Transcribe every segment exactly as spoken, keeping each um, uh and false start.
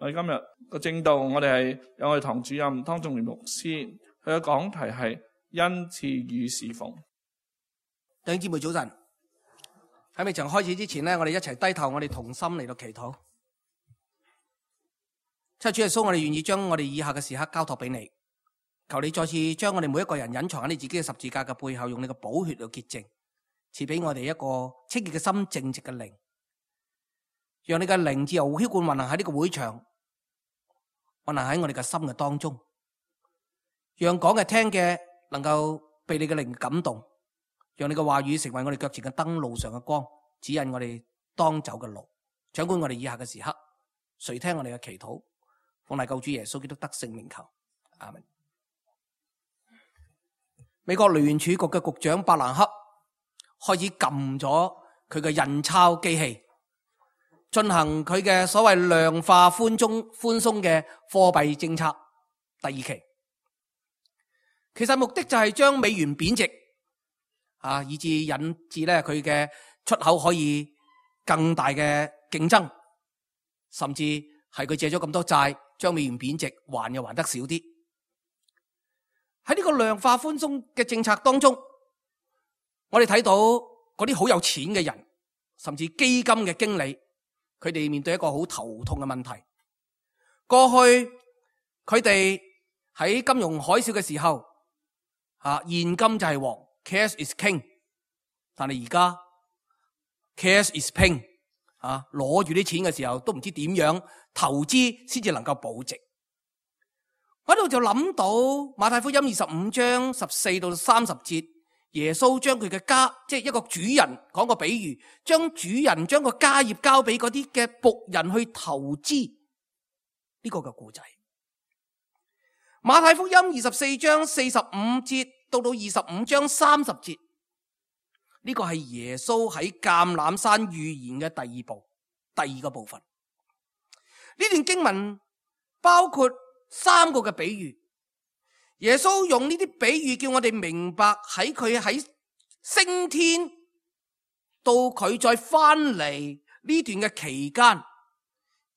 我哋今日個正道，我哋係有我哋堂主任湯仲元牧師，佢嘅講題係恩賜與侍奉。弟兄姊妹早晨，喺未曾開始之前呢，我哋一齊低頭，我哋同心嚟到祈禱。七主耶穌，我哋願意將我哋以下嘅時刻交託俾你，求你再次將我哋每一個人隱藏喺你自己嘅十字架嘅背後，用你嘅寶血嚟潔淨，賜俾我哋一個清潔嘅心、正直嘅靈，讓你嘅靈自由澆灌運行喺呢個會場，運行喺我哋嘅心嘅當中，讓講嘅聽嘅能夠被你嘅靈感動，讓你嘅話語成為我哋腳前嘅燈，路上嘅光，指引我哋當走嘅路，掌管我哋以下嘅時刻。垂聽我哋嘅祈禱，奉賴救主耶穌基督得聖名求，阿們。美國聯儲局嘅局長伯蘭克開始撳咗佢嘅印鈔機器，進行佢嘅所謂量化寬鬆寬鬆嘅貨幣政策第二期。其實目的就係將美元貶值，啊，以致引致咧佢嘅出口可以更大嘅競爭，甚至係佢借咗咁多債，將美元貶值，還又還得少啲。喺呢個量化寬鬆嘅政策當中，我哋睇到嗰啲好有錢嘅人，甚至基金嘅經理，佢哋面對一個好頭痛嘅問題。過去佢哋喺金融海嘯嘅時候，啊，現金就係王 ，cash is king。但係而家 cash is ping，啊，攞住啲錢嘅時候都唔知點樣投資先至能夠保值。我喺度就諗到馬太福音二十五章十四到三十節，耶穌將佢嘅家，即係一個主人講個比喻，將主人將個家業交俾嗰啲嘅僕人去投資呢個嘅故仔。馬太福音二十四章四十五節到到二十五章三十節，呢個係耶穌喺橄欖山預言嘅第二部，第二個部分。呢段經文包括三個嘅比喻，耶穌用呢啲比喻叫我哋明白喺佢喺升天到佢再翻嚟呢段嘅期間，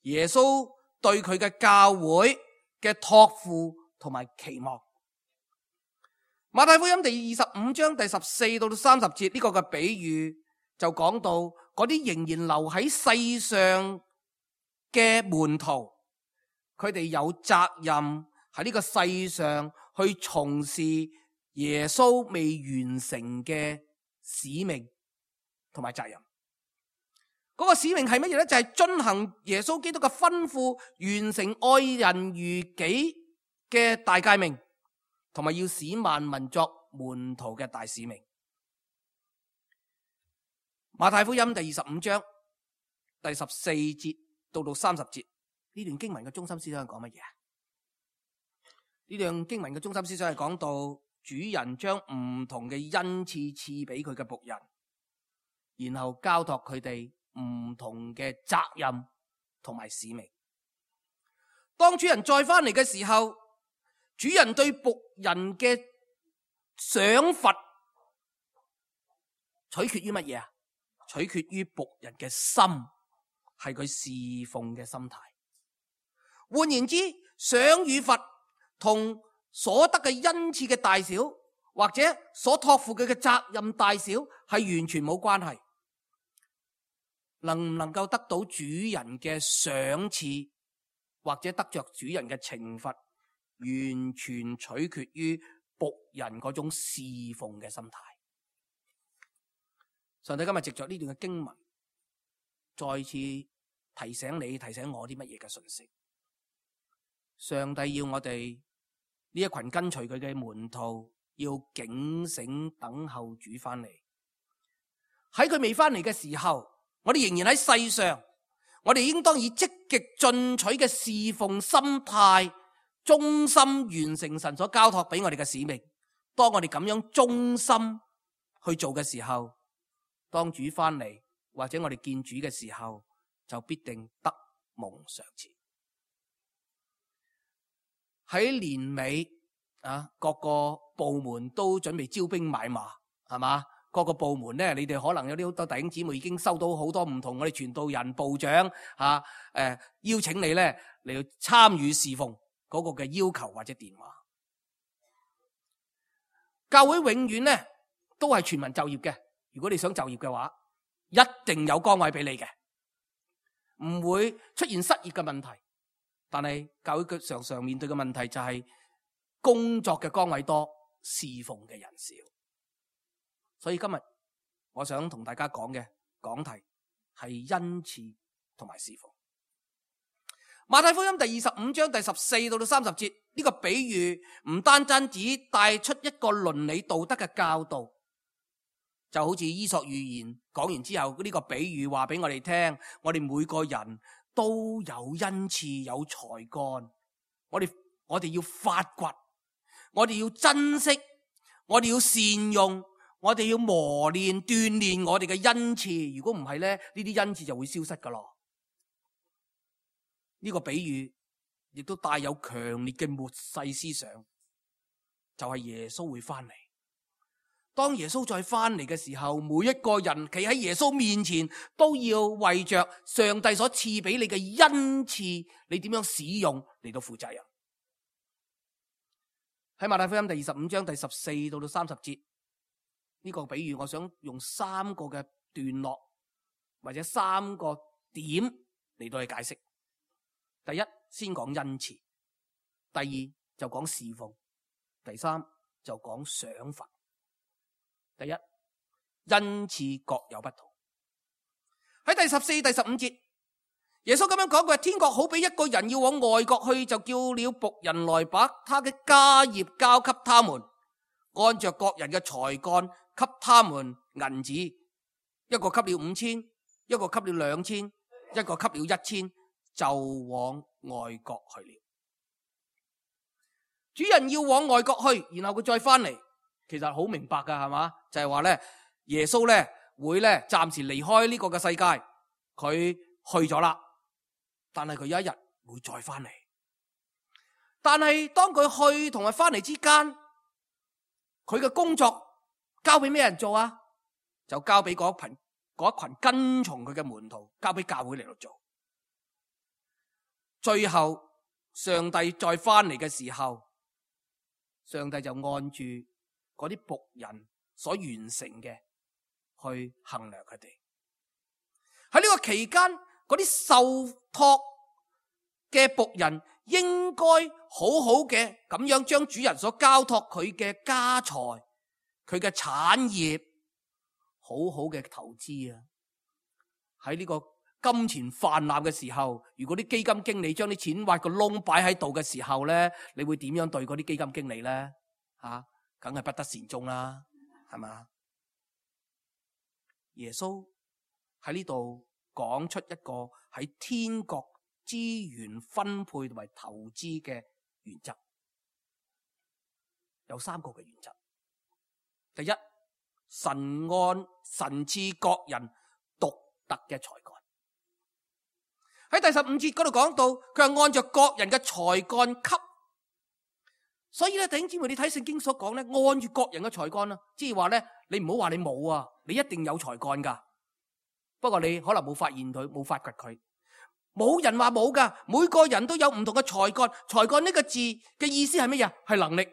耶穌對佢嘅教會嘅託付同埋期望。馬太福音第二十五章第十四到三十節呢個嘅比喻就講到嗰啲仍然留喺世上嘅門徒，佢哋有責任喺呢個世上去從事耶穌未完成嘅使命同埋責任。嗰個使命係乜嘢呢？就係遵行耶穌基督嘅吩咐，完成愛人如己嘅大誡命，同埋要使萬民作門徒嘅大使命。馬太福音第二十五章第十四節到到三十節，呢段經文嘅中心思想係講乜嘢啊？呢段經文嘅中心思想係講到主人將唔同嘅恩賜賜俾佢嘅僕人，然後交託佢哋唔同嘅責任同埋使命。當主人再翻嚟嘅時候，主人對僕人嘅賞罰取決於乜嘢啊？取決於僕人嘅心，係佢侍奉嘅心態。換言之，賞與罰同所得嘅恩賜嘅大小，或者所託付佢嘅責任大小，係完全冇關係。能唔能夠得到主人嘅賞賜，或者得着主人嘅懲罰，完全取決於僕人嗰種侍奉嘅心態。上帝今日藉着呢段嘅經文，再次提醒你、提醒我啲乜嘢嘅信息。上帝要我哋呢一群跟隨佢嘅門徒，要警醒等候主翻嚟。喺佢未翻嚟嘅時候，我哋仍然喺世上，我哋應當以積極進取嘅侍奉心態，忠心完成神所交託俾我哋嘅使命。當我哋咁樣忠心去做嘅時候，當主翻嚟或者我哋見主嘅時候，就必定得蒙賞賜。喺年尾啊，各個部門都準備招兵買馬，係嘛？各個部門咧，你哋可能有啲好多弟兄姊妹已經收到好多唔同我哋傳道人、部長吓誒、呃、邀請你咧嚟去參與侍奉嗰個嘅要求或者電話。教會永遠咧都係全民就業嘅。如果你想就業嘅話，一定有崗位俾你嘅，唔會出現失業嘅問題。但係教會常常面對嘅問題就係工作嘅崗位多，侍奉嘅人少。所以今日我想同大家講嘅講題係恩賜同埋侍奉。馬太福音第二十五章第十四到到三十節，呢個比喻唔單單只帶出一個倫理道德嘅教導，就好似伊索寓言講完之後，呢個比喻話俾我哋聽，我哋每個人都有恩賜有才幹，我哋我哋要發掘，我哋要珍惜，我哋要善用，我哋要磨練鍛煉我哋嘅恩賜。如果唔係咧，呢啲恩賜就會消失噶咯。呢個比喻亦都帶有強烈嘅末世思想，就係耶穌會翻嚟。當耶穌再翻嚟嘅時候，每一個人企喺耶穌面前，都要為着上帝所賜俾你嘅恩賜，你點樣使用嚟到負責任。喺馬太福音第二十五章第十四到到三十節，呢個比喻我想用三個嘅段落或者三個點嚟到去解釋。第一，先講恩賜；第二就講侍奉；第三就講賞罰。第一，恩賜各有不同。喺第十四、第十五節，耶穌咁樣講，佢話天國好比一個人要往外國去，就叫了僕人來把他嘅家業交給他們，按着各人嘅才幹給他們銀子，一個給了五千，一個給了兩千，一個給了一千，就往外國去了。主人要往外國去，然後佢再翻嚟，其實好明白噶，係嘛？就係話咧，耶穌咧會咧暫時離開呢個嘅世界，佢去咗啦。但係佢有一日會再翻嚟。但係當佢去同埋翻嚟之間，佢嘅工作交俾咩人做啊？就交俾嗰群嗰一群跟從佢嘅門徒，交俾教會嚟到做。最後上帝再翻嚟嘅時候，上帝就按住嗰啲僕人所完成嘅去衡量佢哋。喺呢個期間，嗰啲受託嘅僕人應該好好嘅咁樣將主人所交託佢嘅家財、佢嘅產業好好嘅投資啊！喺呢個金錢泛濫嘅時候，如果啲基金經理將啲錢挖個窿擺喺度嘅時候咧，你會點樣對嗰啲基金經理咧？吓，梗係不得善終啦，係嘛？耶穌喺呢度講出一個喺天國資源分配同埋投資嘅原則，有三個嘅原則。第一，神按神賜各人獨特嘅才幹。喺第十五節嗰度講到，佢係按照各人嘅才幹給，所以咧，弟兄姊妹，你睇聖經所講咧，按住各人嘅才幹啦，即係話咧，你唔好話你冇啊，你一定有才幹噶，不過你可能冇發現佢，冇發掘佢，冇人話冇噶，每個人都有唔同嘅才幹。才幹呢個字嘅意思係乜嘢？係能力，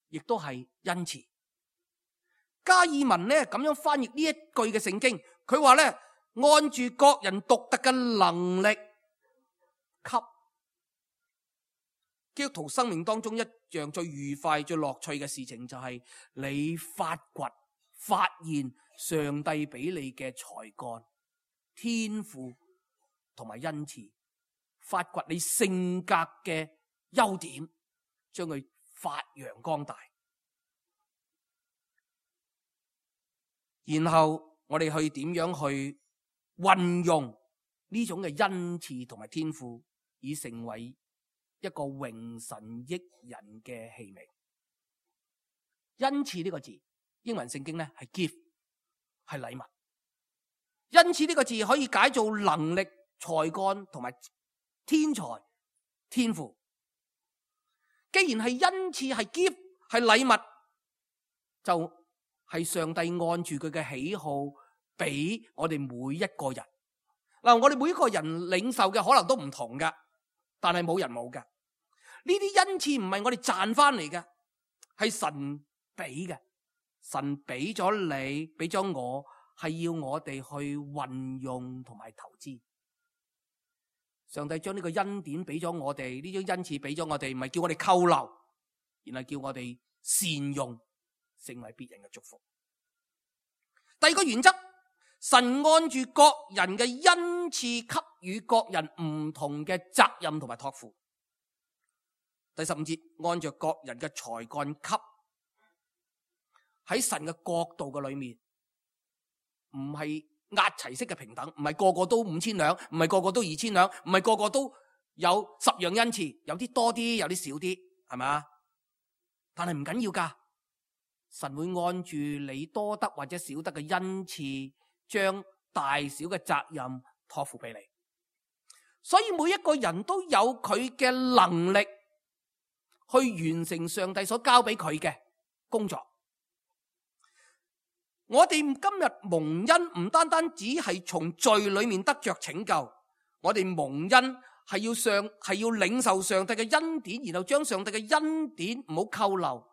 亦都係恩賜。加爾文咧咁樣翻譯呢一句嘅聖經，佢話咧，按住各人獨特嘅能力給。基督徒生命當中一樣最愉快、最樂趣嘅事情，就係你發掘、發現上帝俾你嘅才幹、天賦同埋恩賜，發掘你性格嘅優點，將佢發揚光大。然後我哋去點樣去運用呢種嘅恩賜同埋天賦，以成為一個榮神益人嘅器皿。恩賜呢個字，英文聖經咧係 gift， 係禮物。恩賜呢個字可以解做能力、才幹同埋天才、天賦。既然係恩賜、係 gift、係禮物，就係上帝按住佢嘅喜好俾我哋每一個人。嗱，我哋每一個人領受嘅可能都唔同噶，但係冇人冇噶。呢啲恩賜唔係我哋賺翻嚟嘅，係神俾嘅。神俾咗你，俾咗我，係要我哋去運用同埋投資。上帝將呢個恩典俾咗我哋，呢張恩賜俾咗我哋，唔係叫我哋扣留，而係叫我哋善用，成為別人嘅祝福。第二個原則，神按住各人嘅恩賜，給予各人唔同嘅責任同埋託付。第十五節，按照各人嘅才幹給。喺神嘅國度嘅裏面，唔係壓齊式嘅平等，唔係個個都五千兩，唔係個個都二千兩，唔係個個都有十樣恩賜，有啲多啲，有啲少啲，係咪？但係唔緊要噶，神會按住你多得或者少得嘅恩賜，將大小嘅責任託付俾你。所以每一個人都有佢嘅能力去完成上帝所交俾佢嘅工作。我哋今日蒙恩唔單單只係從罪裏面得着拯救，我哋蒙恩係要上係要領受上帝嘅恩典，然後將上帝嘅恩典唔好扣留，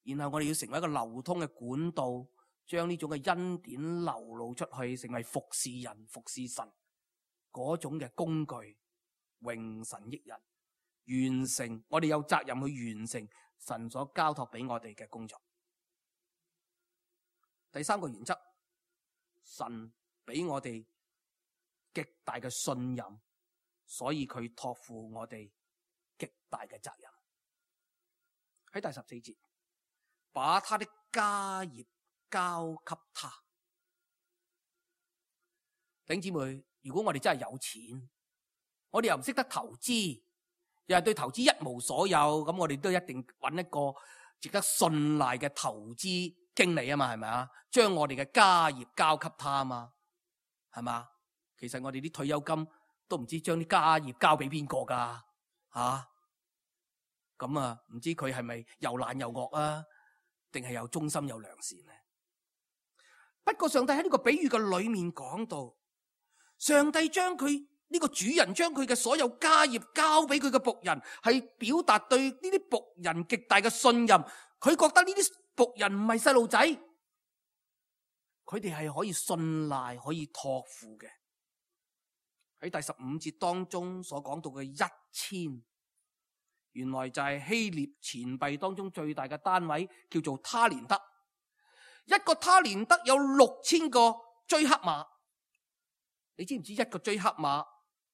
然後我哋要成為一個流通嘅管道，將呢種嘅恩典流露出去，成為服侍人、服侍神嗰種嘅工具，榮神益人，完成我哋有責任去完成神所交託俾我哋嘅工作。第三個原則，神俾我哋極大嘅信任，所以佢託付我哋極大嘅責任。喺第十四節，把他的家業交給他。弟兄姊妹，如果我哋真係有錢，我哋又唔識得投資，又係對投資一無所有，咁我哋都一定揾一個值得信賴嘅投資經理啊嘛，係咪啊？將我哋嘅家業交給他啊嘛，係嘛？其實我哋啲退休金都唔知將啲家業交俾邊個噶吓，咁啊唔知佢係咪又懶又惡啊，定係又忠心又良善咧？不過上帝喺呢個比喻嘅裏面講到，上帝將佢呢個主人將佢嘅所有家業交俾佢嘅僕人，係表達對呢啲僕人極大嘅信任。佢覺得呢啲僕人唔係細路仔，佢哋係可以信賴、可以託付嘅。喺第十五節當中所講到嘅一千，原來就係希臘錢幣當中最大嘅單位，叫做他連德。一個他連德有六千個追克馬。你知唔知一個追克馬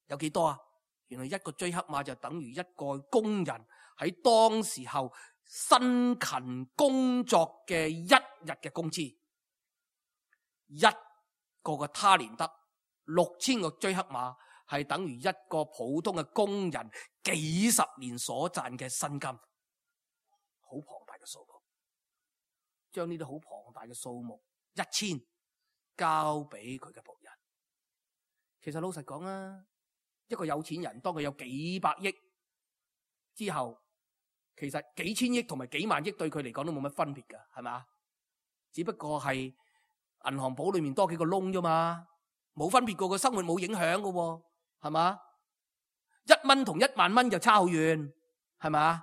有幾多啊？原來一個追克馬就等於一個工人喺當時候辛勤工作嘅一日嘅工資。一個嘅他連德六千個追克馬係等於一個普通嘅工人幾十年所賺嘅薪金，好龐大嘅數目。將呢啲好龐大嘅數目一千交俾佢嘅僕人。其實老實講啊，一個有錢人當佢有幾百億之後，其實幾千億同埋幾萬億對佢嚟講都冇乜分別噶，係咪？只不過係銀行簿裏面多幾個窿啫嘛，冇分別過，個生活冇影響噶，係嘛？一蚊同一萬蚊就差好遠，係咪？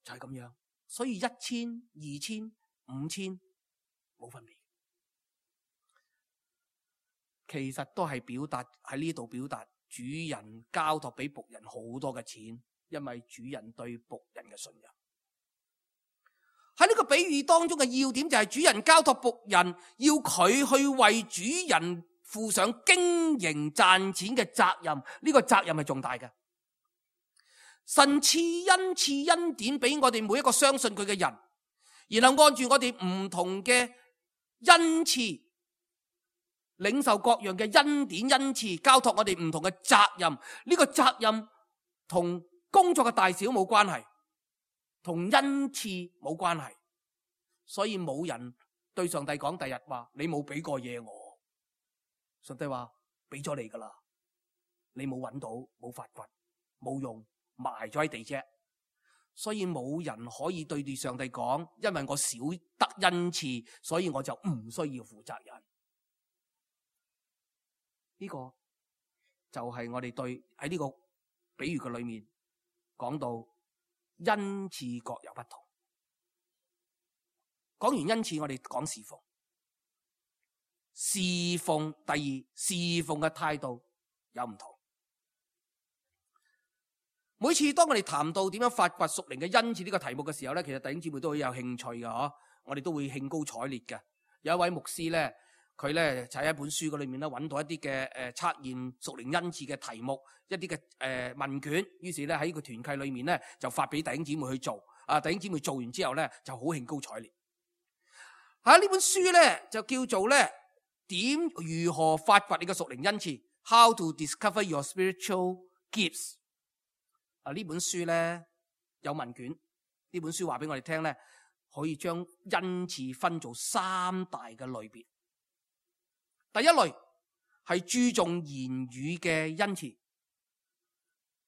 就係咁樣，所以一千、二千、五千冇分別。其實都係表達喺呢度表達主人交託俾僕人好多嘅錢，因為主人對僕人嘅信任。喺呢個比喻當中嘅要點就係主人交託僕人，要佢去為主人負上經營賺錢嘅責任。呢個責任係重大嘅。神賜恩賜恩典俾我哋每一個相信佢嘅人，然後按住我哋唔同嘅恩賜，領受各樣嘅恩典恩賜，交託我哋唔同嘅責任。呢個責任同工作嘅大小冇關係，同恩賜冇關係。所以冇人對上帝講第日話你冇俾過嘢我，上帝話俾咗你噶啦，你冇揾到，冇發掘，冇用，埋咗喺地啫。所以冇人可以對住上帝講，因為我少得恩賜，所以我就唔需要負責任。呢個就係我哋對喺呢個比喻嘅裏面講到恩賜各有不同。講完恩賜，我哋講侍奉。侍奉，第二，侍奉嘅態度有唔同。每次當我哋談到點樣發掘屬靈嘅恩賜呢個題目嘅時候咧，其實弟兄姊妹都好有興趣嘅嗬，我哋都會興高采烈嘅。有一位牧師咧，佢咧就喺一本書嘅裏面咧揾到一啲嘅誒測驗屬靈恩賜嘅題目，一啲嘅誒問卷，於是咧喺個團契裏面咧就發俾弟兄姊妹去做。啊，弟兄姊妹做完之後咧就好興高采烈。喺呢本書咧就叫做咧點如何發掘你嘅屬靈恩賜 ，How to discover your spiritual gifts。啊！呢本書咧有問卷，呢本書話俾我哋聽咧，可以將恩賜分做三大嘅類別。第一類係注重言語嘅恩賜，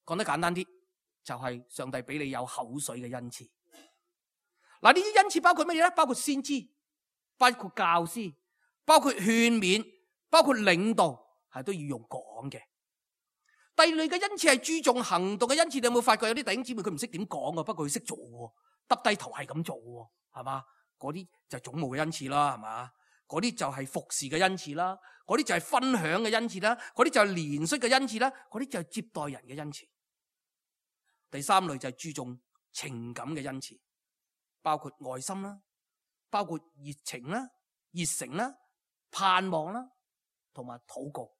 講得簡單啲，就係上帝俾你有口水嘅恩賜。嗱，呢啲恩賜包括乜嘢咧？包括先知，包括教師，包括勸勉，包括領導，係都要用講嘅。第二類嘅恩賜係注重行動嘅恩賜，你有冇發覺有啲弟兄姊妹佢唔識點講啊？不過佢識做喎，耷低頭係咁做喎，係嘛？嗰啲就係總務嘅恩賜啦，係嘛？嗰啲就係服侍嘅恩賜啦，嗰啲就係分享嘅恩賜啦，嗰啲就係憐恤嘅恩賜啦，嗰啲就係接待人嘅恩賜。第三類就係注重情感嘅恩賜，包括愛心啦，包括熱情啦、熱誠啦、盼望啦，同埋禱告。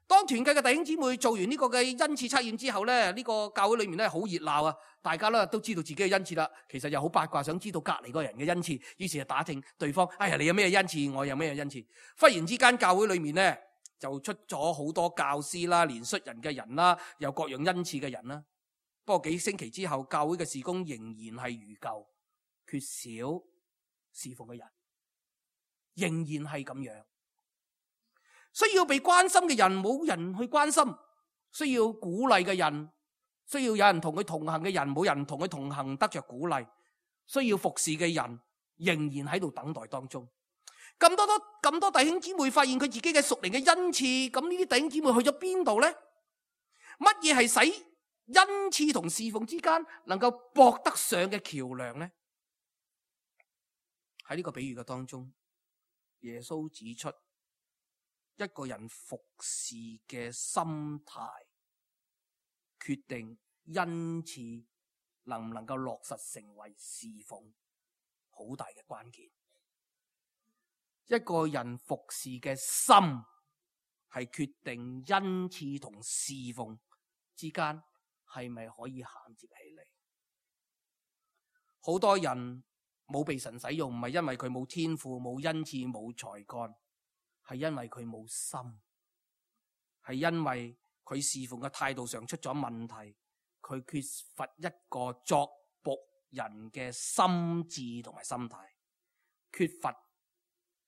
當團契嘅弟兄姊妹做完呢個嘅恩賜測驗之後咧，呢個教會裏面咧好熱鬧啊！大家咧都知道自己嘅恩賜啦，其實又好八卦，想知道隔籬嗰人嘅恩賜，於是就打聽對方，哎呀，你有咩恩賜，我有咩恩賜。忽然之間教會裏面咧就出咗好多教師啦、憐恤人嘅人啦，有各樣恩賜嘅人啦。不過幾星期之後，教會嘅事工仍然係如舊，缺少侍奉嘅人，仍然係咁樣。需要被關心嘅人冇人去關心，需要鼓勵嘅人，需要有人同佢同行嘅人冇人同佢同行得着鼓勵，需要服侍嘅人仍然喺度等待當中。咁多多咁多弟兄姊妹發現佢自己嘅屬靈嘅恩賜，咁呢啲弟兄姊妹去咗邊度呢？乜嘢係使恩賜同侍奉之間能夠駁得上嘅橋梁呢？喺呢個比喻嘅當中，耶穌指出，一個人服侍嘅心態，決定恩賜能唔能夠落實成為侍奉好大嘅關鍵。一個人服侍嘅心，係決定恩賜同侍奉之間係咪可以銜接起嚟。好多人冇被神使用，唔係因為佢冇天賦、冇恩賜、冇才幹，係因為佢冇心，係因為佢侍奉嘅態度上出咗問題，佢缺乏一個作僕人嘅心智同埋心態，缺乏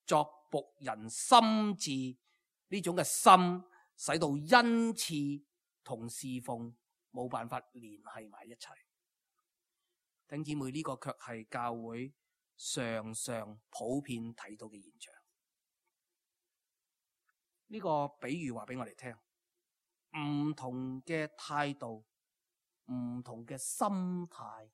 作僕人心智呢種嘅心，使到恩賜同侍奉冇辦法聯繫埋一齊。弟兄姊妹，呢個卻係教會常常普遍睇到嘅現象。呢個比喻話俾我哋聽，唔同嘅態度，唔同嘅心態，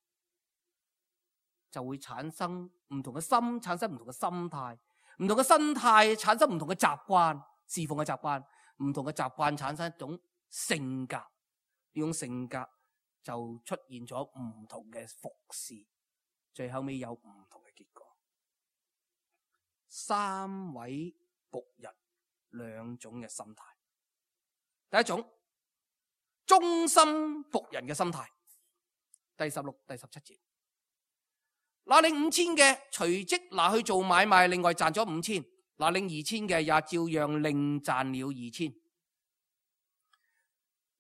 就會產生唔同嘅心，產生唔同嘅心態，唔同嘅心態產生唔同嘅習慣，侍奉嘅習慣，唔同嘅習慣產生一種性格，呢種性格就出現咗唔同嘅服侍，最後尾有唔同嘅結果。三位僕人，兩種嘅心態。第一種，忠心僕人嘅心態。第十六、第十七節，拿領五千嘅隨即拿去做買賣，另外賺咗五千；拿領二千嘅也照樣另賺了二千。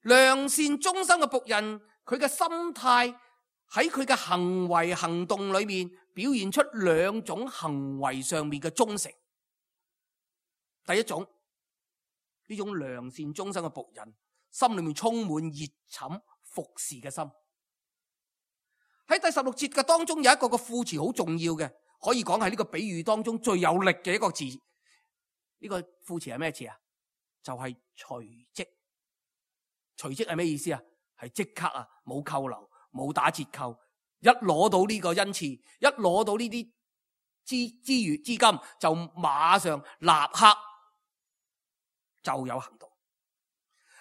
良善忠心嘅僕人，佢嘅心態喺佢嘅行為行動裏面表現出兩種行為上面嘅忠誠。第一種，呢種良善忠心嘅僕人，心裏面充滿熱忱服侍嘅心，喺第十六節嘅當中有一個個副詞好重要嘅，可以講係呢個比喻當中最有力嘅一個字。呢個副詞係咩詞啊？就係隨即。隨即係咩意思啊？係即刻啊，冇扣留，冇打折扣，一攞到呢個恩賜，一攞到呢啲資資源資金，就馬上立刻就有行動。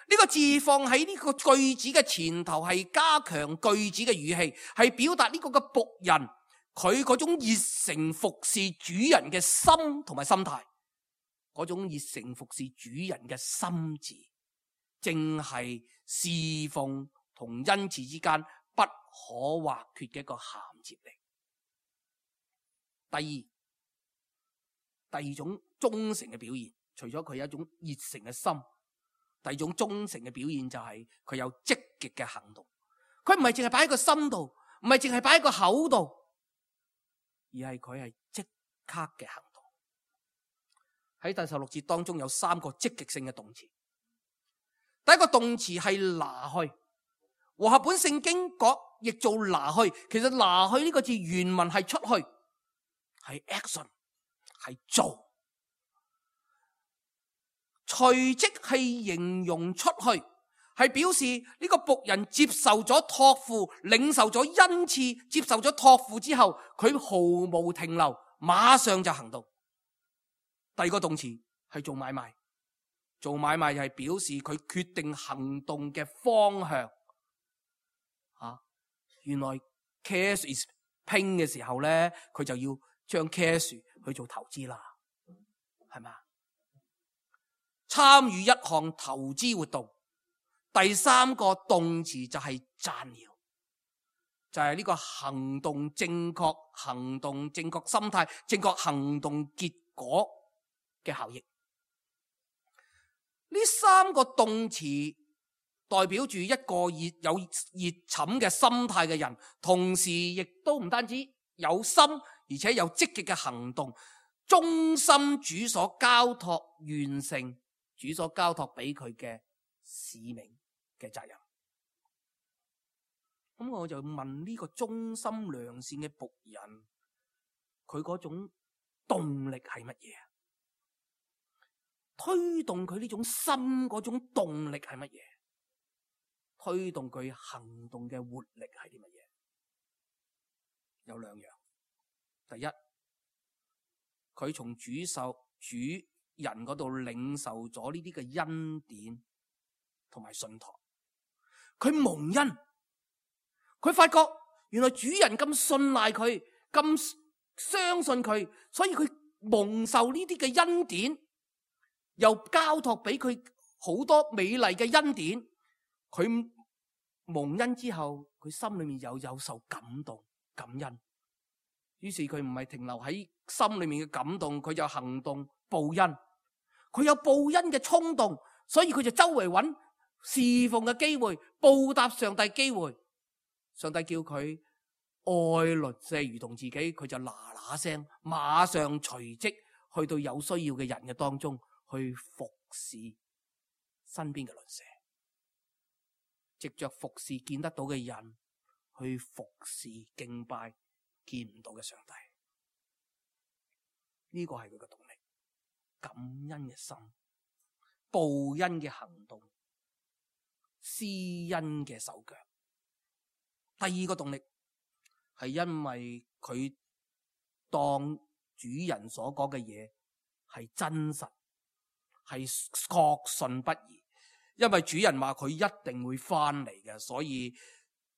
呢個字放喺呢個句子嘅前頭，係加強句子嘅語氣，係表達呢個嘅僕人佢嗰種熱誠服侍主人嘅心同埋心態，嗰種熱誠服侍主人嘅心志，正係侍奉同恩賜之間不可或缺嘅一個銜接力。第二，第二種忠誠嘅表現，除咗佢有一種熱誠嘅心，第二種忠誠嘅表現就係佢有積極嘅行動。佢唔係淨係擺喺個心度，唔係淨係擺喺個口度，而係佢係即刻嘅行動。喺第十六節當中有三個積極性嘅動詞。第一個動詞係拿去，和合本聖經講譯做拿去，其實拿去呢個字原文係出去，係 action， 係做。隨即係形容出去，係表示呢個僕人接受咗託付，領受咗恩賜，接受咗託付之後，佢毫無停留，馬上就行動。第二個動詞係做買賣。做買賣係表示佢決定行動嘅方向。啊，原來 cash is ping 嘅時候咧，佢就要將 cash 去做投資啦，係咪？參與一項投資活動。第三個動詞就係讚耀，就係呢個行動正確、行動正確心態、正確行動結果嘅效益。呢三個動詞代表住一個熱有熱忱嘅心態嘅人，同時亦都唔單止有心，而且有積極嘅行動，忠心主所交託，完成主所交託俾佢嘅使命嘅責任。咁我就問呢個忠心良善嘅僕人，佢嗰種動力係乜嘢？推動佢呢種心嗰種動力係乜嘢？推動佢行動嘅活力係啲乜嘢？有兩樣。第一，佢從主受主人嗰度領受咗呢啲嘅恩典同埋信託，佢蒙恩，佢發覺原來主人咁信賴佢，咁相信佢，所以佢蒙受呢啲嘅恩典。又交託俾佢好多美麗嘅恩典，佢蒙恩之後，佢心裏面又有受感動、感恩。於是佢唔係停留喺心裏面嘅感動，佢就行動報恩。佢有報恩嘅衝動，所以佢就周圍揾侍奉嘅機會，報答上帝機會。上帝叫佢愛鄰舍如同自己，佢就嗱嗱聲，馬上隨即去到有需要嘅人嘅當中。去服侍身邊嘅鄰舍，藉着服侍見得到嘅人，去服侍敬拜見唔到嘅上帝。呢個係佢嘅動力，感恩嘅心，報恩嘅行動，施恩嘅手腳。第二個動力係因為佢當主人所講嘅嘢係真實，係確信不疑，因為主人話佢一定會翻嚟嘅，所以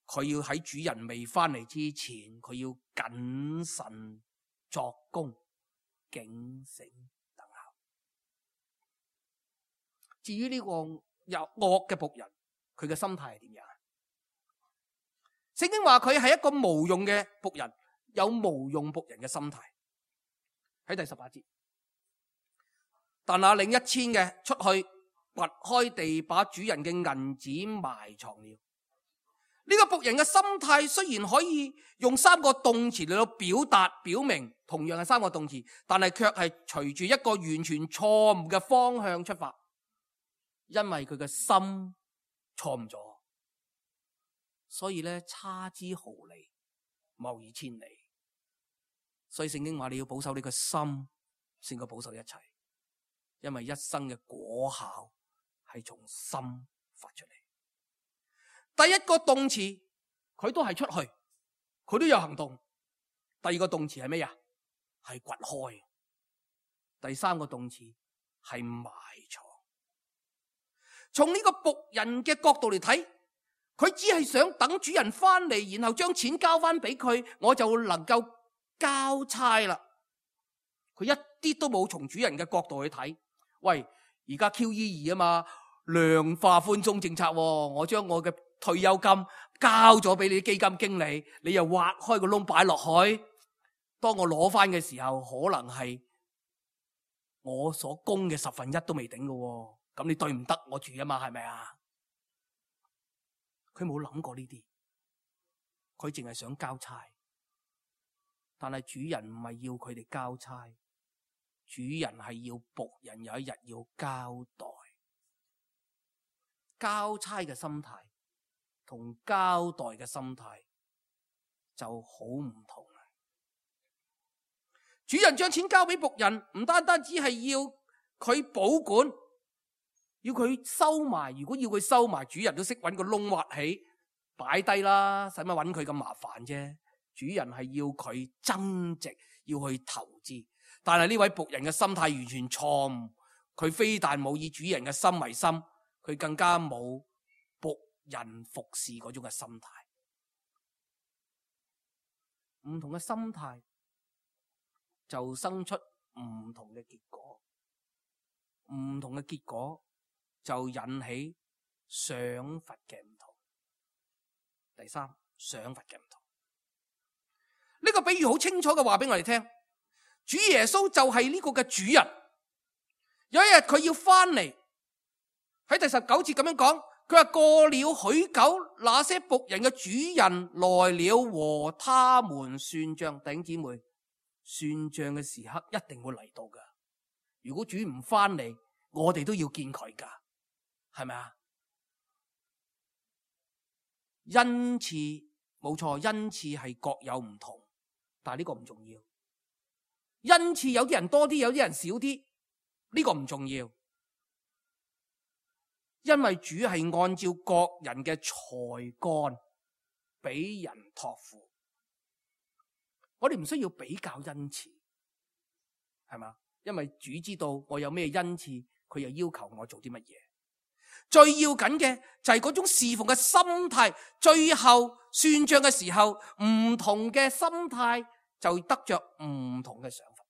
佢要喺主人未翻嚟之前，佢要謹慎作工，警醒等候。至於呢個有惡嘅僕人，佢嘅心態係點樣？聖經話佢係一個無用嘅僕人，有無用僕人嘅心態。喺第十八節。但那領一千嘅出去掘開地，把主人嘅銀子埋藏了。呢個僕人嘅心態雖然可以用三個動詞嚟到表達表明，同樣係三個動詞，但係卻係隨住一個完全錯誤嘅方向出發，因為佢嘅心錯誤咗，所以咧差之毫厘，謬以千里。所以聖經話你要保守你個心，先可保守一切，因為一生嘅果效係從心發出嚟。第一個動詞佢都係出去，佢都有行動。第二個動詞係咩啊？係掘開。第三個動詞係埋藏。從呢個僕人嘅角度嚟睇，佢只係想等主人翻嚟，然後將錢交翻俾佢，我就能夠交差啦。佢一啲都冇從主人嘅角度去睇。喂，而家 Q E 二啊嘛，量化寬鬆政策，我將我嘅退休金交咗俾你啲基金經理，你又挖開個窿擺落去，當我攞翻嘅時候，可能係我所供嘅十分一都未頂嘅，咁你對唔得我住啊嘛，係咪啊？佢冇諗過呢啲，佢淨係想交差，但係主人唔係要佢哋交差，主人係要僕人有一日要交代。交差嘅心態同交代嘅心態就好唔同啦。主人將錢交俾僕人，唔單單只係要佢保管，要佢收埋。如果要佢收埋，主人都識搵個窿挖起擺低啦，使乜搵佢咁麻煩啫？主人係要佢增值，要去投資。但係呢位僕人嘅心態完全錯誤，佢非但冇以主人嘅心為心，佢更加冇僕人服侍嗰種嘅心態。唔同嘅心態就生出唔同嘅結果，唔同嘅結果就引起賞罰嘅唔同。第三，賞罰嘅唔同。呢個比喻好清楚嘅話俾我哋聽，主耶穌就係呢個嘅主人。有一日佢要翻嚟，喺第十九節咁樣講，佢話過了許久，那些僕人嘅主人來了和他們算賬。弟兄姊妹，算賬嘅時刻一定會嚟到噶。如果主唔翻嚟，我哋都要見佢噶，係咪啊？恩賜冇錯，恩賜係各有唔同，但係呢個唔重要。恩賜有啲人多啲，有啲人少啲，呢個唔重要。因為主係按照各人嘅才幹俾人託付，我哋唔需要比較恩賜，係嘛？因為主知道我有咩恩賜，佢又要求我做啲乜嘢。最要緊嘅就係嗰種侍奉嘅心態，最後算賬嘅時候，唔同嘅心態就得着唔同嘅賞罰。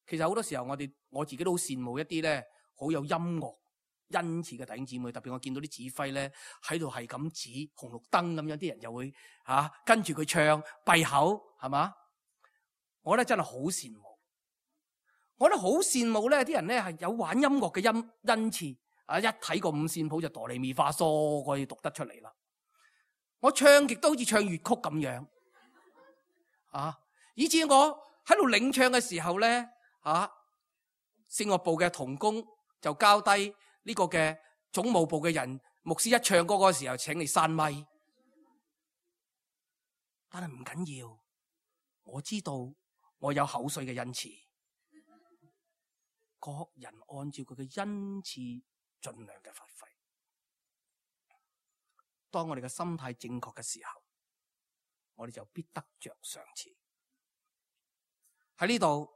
其實好多時候我哋我自己都好羨慕一啲咧好有音樂恩賜嘅弟兄姊妹，特別我見到啲指揮咧喺度係咁指紅綠燈咁樣，啲人就會吓、啊、跟住佢唱閉口，係嘛？我覺得真係好羨慕，我覺得好羨慕咧啲人咧係有玩音樂嘅音恩賜啊！一睇個五線譜就哆唻咪發嗦，可以讀得出嚟啦。我唱極都好似唱粵曲咁樣啊！以至我喺度領唱嘅時候咧啊，聖樂部嘅同工就交低呢個嘅總務部嘅人，牧師一唱歌嗰個時候，請你閂咪。但係唔緊要，我知道我有口水嘅恩賜，各人按照佢嘅恩賜盡量嘅發揮。當我哋嘅心態正確嘅時候，我哋就必得着賞賜。喺呢度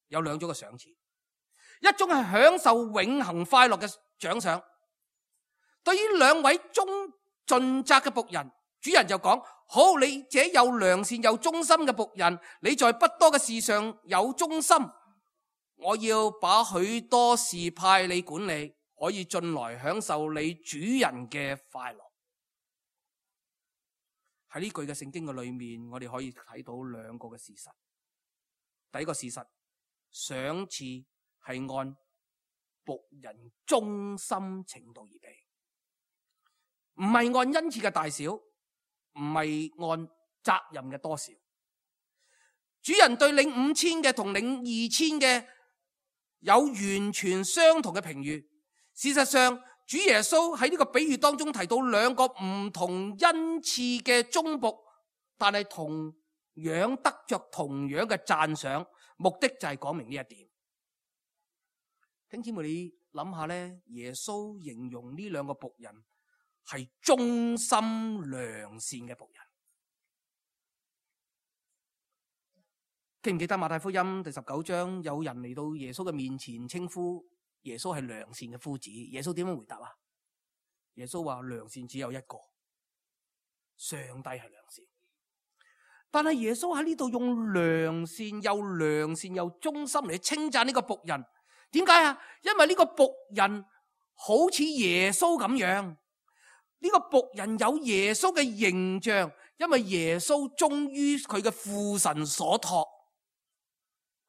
有兩種嘅賞賜。一種係享受永恆快樂嘅獎賞。對於兩位忠盡責嘅僕人，主人就講：好，你這又良善又忠心嘅僕人，你在不多嘅事上有忠心，我要把許多事派你管理，可以進來享受你主人嘅快樂。喺呢句嘅聖經嘅裏面，我哋可以睇到兩個嘅事實。第一個事實，賞賜係按僕人忠心程度而俾，唔係按恩賜嘅大小，唔係按責任嘅多少。主人對領五千嘅同領二千嘅有完全相同嘅評語。事實上，主耶穌喺呢個比喻當中提到兩個唔同恩賜嘅忠僕但係同樣得着同樣嘅讚賞，目的就係講明呢一點。聽姊妹，你諗下咧，耶穌形容呢兩個僕人係忠心良善嘅僕人。記唔記得馬太福音第十九章，有人嚟到耶穌嘅面前，稱呼耶穌係良善嘅夫子。耶穌點樣回答啊？耶穌話良善只有一個，上帝係良善。但係耶穌喺呢度用良善又良善又忠心嚟稱讚呢個僕人。點解啊？因為呢個僕人好似耶穌咁樣，呢個僕人有耶穌嘅形象，因為耶穌忠於佢嘅父神所託，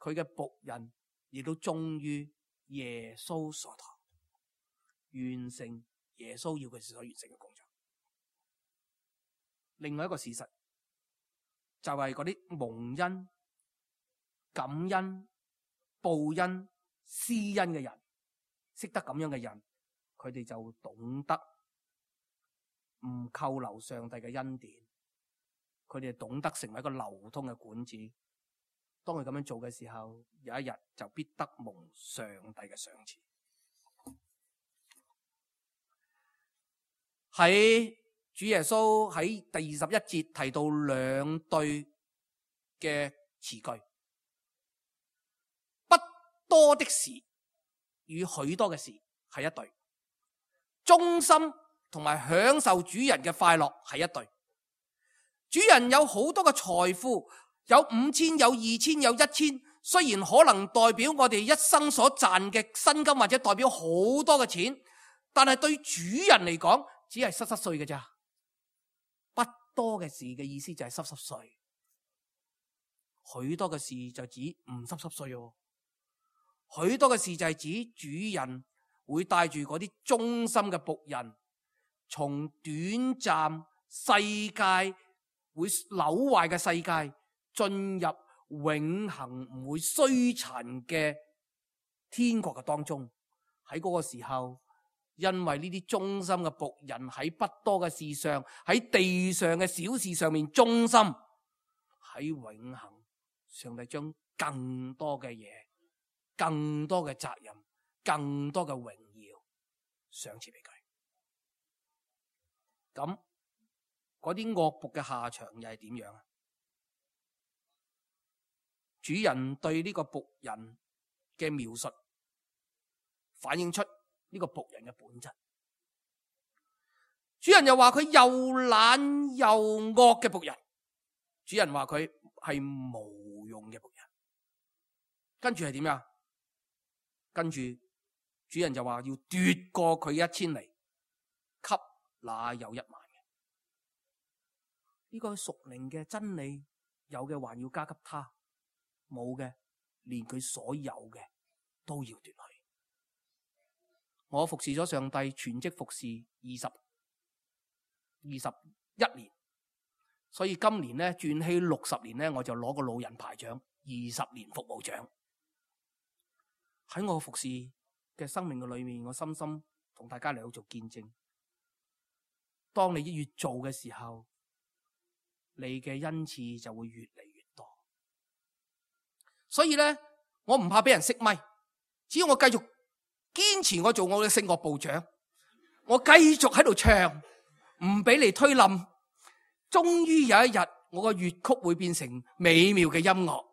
佢嘅僕人亦都忠於耶穌所託，完成耶穌要佢所完成嘅工作。另外一個事實就係嗰啲蒙恩、感恩、報恩、施恩嘅人，識得咁樣嘅人，佢哋就懂得唔扣留上帝嘅恩典，佢哋懂得成為一個流通嘅管子。當佢咁樣做嘅時候，有一日就必得蒙上帝嘅賞賜。喺主耶穌喺第二十一節提到兩對嘅詞句，不多的事與許多嘅事係一對，忠心同埋享受主人嘅快樂係一對。主人有好多嘅財富，有五千，有二千，有一千，雖然可能代表我哋一生所賺嘅薪金，或者代表好多嘅錢，但係對主人嚟講只係濕濕碎嘅咋。不多嘅事嘅意思就係濕濕碎，許多嘅事就指唔濕濕碎哦。許多嘅事就係指主人會帶住嗰啲忠心嘅僕人，從短暫世界會朽壞嘅世界，進入永恆唔會衰殘嘅天國嘅當中。喺嗰個時候，因為呢啲忠心嘅僕人喺不多嘅事上，喺地上嘅小事上面忠心，喺永恆，上帝將更多嘅嘢、更多嘅責任、更多嘅榮耀賞賜俾佢。咁嗰啲惡僕嘅下場又係點樣啊？主人對呢個僕人嘅描述，反映出呢個僕人嘅本質。主人又話佢又懶又惡嘅僕人，主人話佢係無用嘅僕人。跟住係點樣？跟住主人就話要奪過佢一千厘，給那有一萬嘅。呢個屬靈嘅真理，有嘅還要加給他，冇嘅連佢所有嘅都要奪去。我服侍咗上帝，全職服侍二十二十一年，所以今年咧轉起六十年咧，我就攞個老人牌獎，二十年服務獎。喺我服侍嘅生命嘅裏面，我深深同大家嚟到做見證。當你越做嘅時候，你嘅恩賜就會越嚟越多。所以咧，我唔怕俾人熄咪，只要我繼續堅持我做我嘅聖樂部長，我繼續喺度唱，唔俾你推冧。終於有一日，我個粵曲會變成美妙嘅音樂，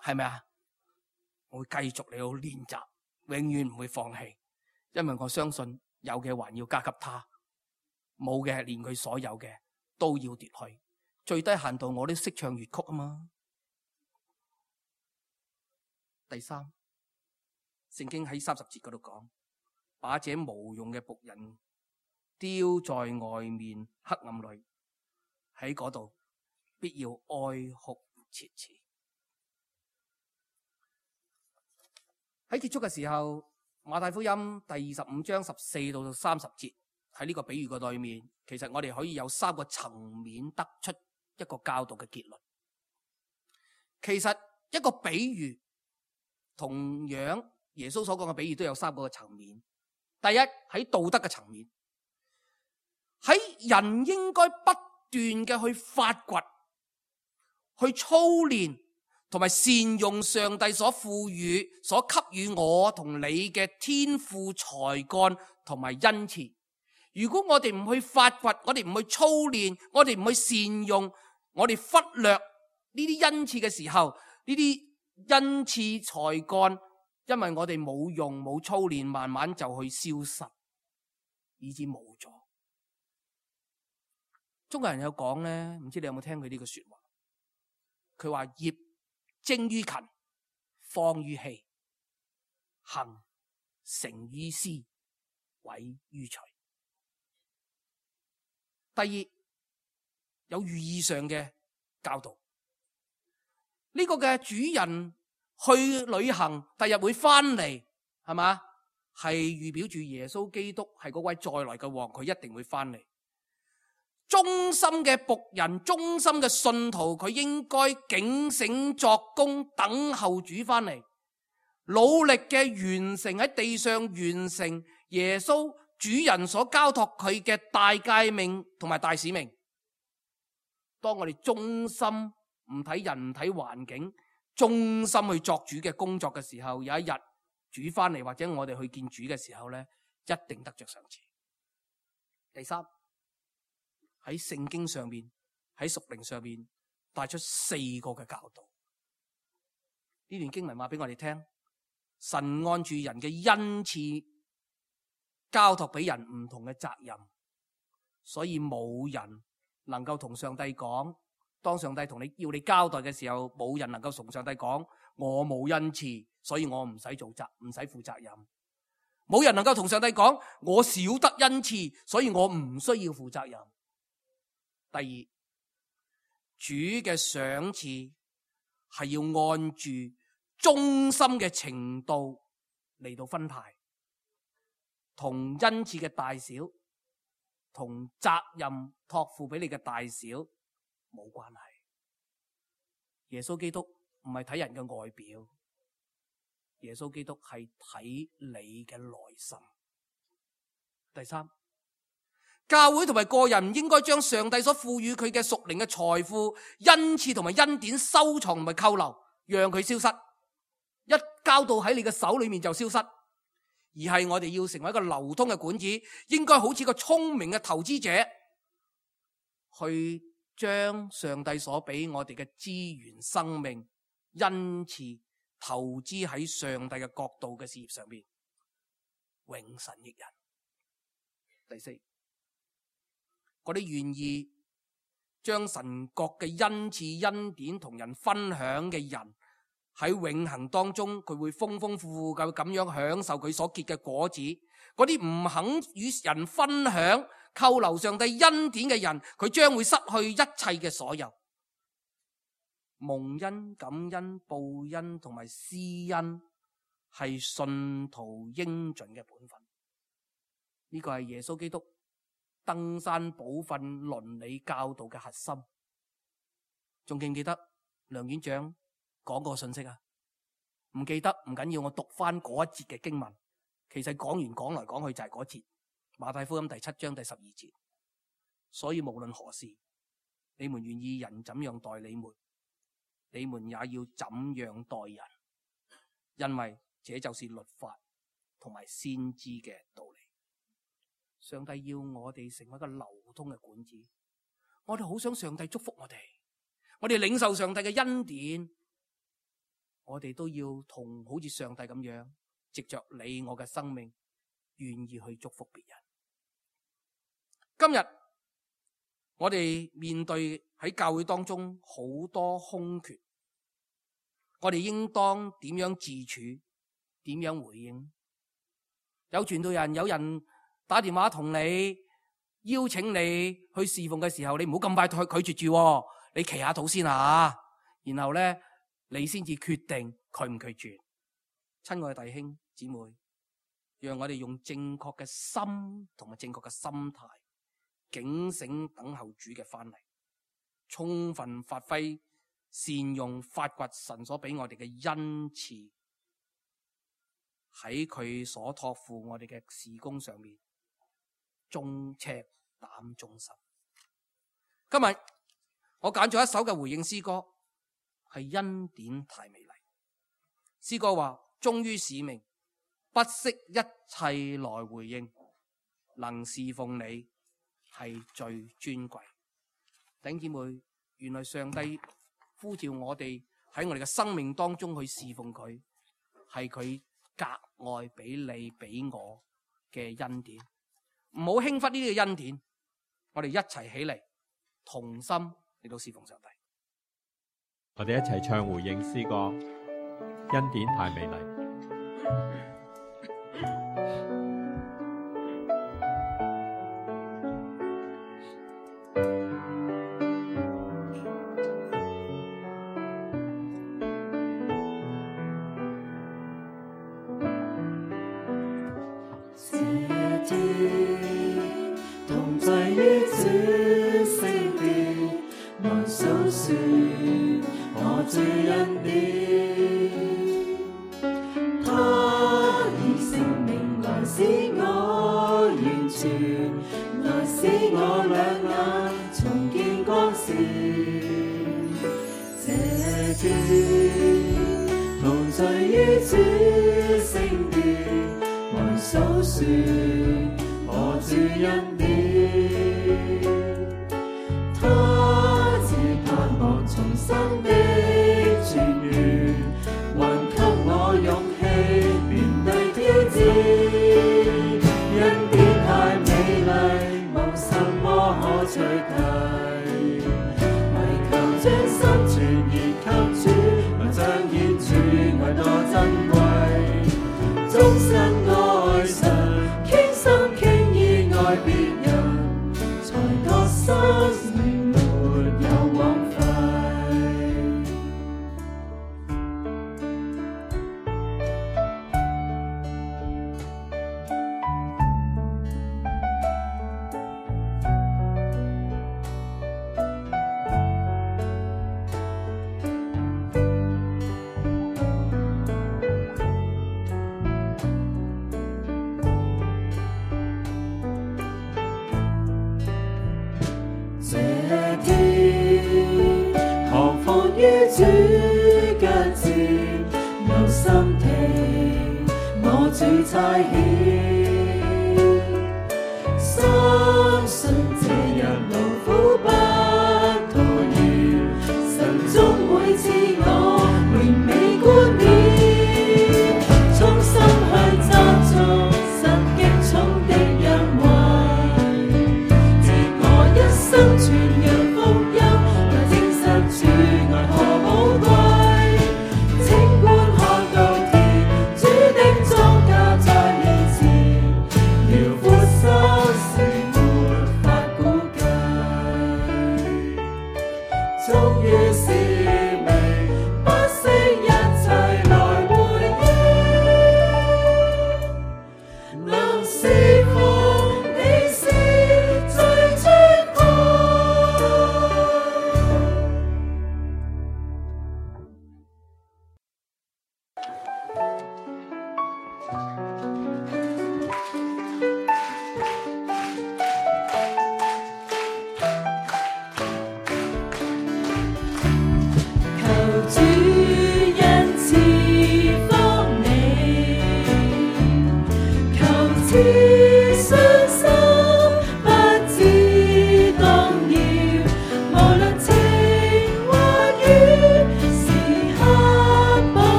係咪啊？我會繼續嚟到練習，永遠唔會放棄，因為我相信有嘅還要加給他，冇嘅連佢所有嘅都要奪去。最低限度我都識唱粵曲啊嘛。第三，聖經喺三十節嗰度講，把這無用嘅僕人丟在外面黑暗裏，喺嗰度必要哀哭切齒。喺結束嘅時候，馬太福音第二十五章十四到三十節，喺呢個比喻嘅裏面，其實我哋可以有三個層面得出一個教導嘅結論。其實一個比喻，同樣耶穌所講嘅比喻都有三個層面。第一，喺道德嘅層面，喺人應該不斷嘅去發掘去操練同埋善用上帝所賦予、所給予我同你嘅天賦才幹同埋恩賜。如果我哋唔去發掘，我哋唔去操練，我哋唔去善用，我哋忽略呢啲恩賜嘅時候，呢啲恩賜才幹，因為我哋冇用冇操練，慢慢就去消失，以致冇咗。中國人有講咧，唔知你有冇聽佢呢個說話？佢話業精於勤，荒於嬉，行成於思，毀於隨。第二，有寓意上嘅教導。呢、這個嘅主人去旅行，第日會翻嚟，係嘛？係預表住耶穌基督係嗰位再來嘅王，佢一定會翻嚟。忠心嘅僕人，忠心嘅信徒，佢應該警醒作工，等候主翻嚟，努力嘅完成喺地上完成耶穌主人所交託佢嘅大誡命同埋大使命。當我哋忠心唔睇人唔睇環境，忠心去作主嘅工作嘅時候，有一日主翻嚟或者我哋去見主嘅時候咧，一定得着賞賜。第三，喺聖經上面，喺屬靈上面帶出四個嘅教導。呢段經文話俾我哋聽，神按住人嘅恩賜交託俾人唔同嘅責任，所以冇人能夠同上帝講，當上帝同你要你交代嘅時候，冇人能夠同上帝講，我冇恩賜，所以我唔使做責，唔使負責任。冇人能夠同上帝講，我少得恩賜，所以我唔需要負責任。第二，主嘅賞賜係要按住忠心嘅程度嚟到分派，同恩賜嘅大小，同責任託付俾你嘅大小冇關係。耶穌基督唔係睇人嘅外表，耶穌基督係睇你嘅內心。第三，教會同埋個人唔應該將上帝所賦予佢嘅屬靈嘅財富、恩賜同埋恩典收藏同埋扣留，讓佢消失，一交到喺你嘅手裏面就消失。而係我哋要成為一個流通嘅管子，應該好似個聰明嘅投資者，去將上帝所俾我哋嘅資源、生命、恩賜投資喺上帝嘅國度嘅事業上面，永神益人。第四，嗰啲願意將神國嘅恩賜、恩典同人分享嘅人，喺永恆當中，佢會豐豐富富咁咁樣享受佢所結嘅果子。嗰啲唔肯與人分享、扣留上帝恩典嘅人，佢將會失去一切嘅所有。蒙恩、感恩、報恩同埋施恩，係信徒應盡嘅本分。呢個係耶穌基督登山寶訓倫理教導嘅核心。仲記唔記得梁院長講個信息啊？唔記得唔緊要，我讀翻嗰一節嘅經文。其實講完講來講去就係嗰節，馬太福音第七章第十二節。所以無論何事，你們願意人怎樣待你們，你們也要怎樣待人，因為這就是律法同埋先知嘅道理。上帝要我哋成為一個流通嘅管子，我哋好想上帝祝福我哋，我哋領受上帝嘅恩典，我哋都要同好似上帝咁樣，藉着你我嘅生命，願意去祝福別人。今日我哋面對喺教會當中好多空缺，我哋應當點樣自處，點樣回應？有傳道人，有人打電話同你邀請你去侍奉嘅時候，你唔好咁快拒絕住，你祈下禱先啊，然後咧你先至決定拒唔拒絕。親愛嘅弟兄姊妹，讓我哋用正確嘅心同埋正確嘅心態，警醒等候主嘅翻嚟，充分發揮善用發掘神所俾我哋嘅恩賜，喺佢所託付我哋嘅事工上面，忠赤膽忠心。今日我揀咗一首嘅回應詩歌，係恩典太美麗。詩歌話：忠於使命，不惜一切來回應，能侍奉你係最尊貴。弟兄姊妹，原來上帝呼召我哋喺我哋嘅生命當中去侍奉佢，係佢格外俾你俾我嘅恩典。唔好輕忽呢啲嘅恩典，我哋一齊起嚟，同心嚟到侍奉上帝。我哋一齊唱回應詩歌，恩典太美麗。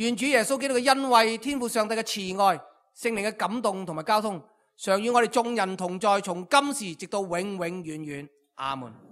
願主耶穌基督嘅恩惠、天父上帝嘅慈愛、聖靈嘅感動同埋交通，常與我哋眾人同在，從今時直到永永遠遠。阿門。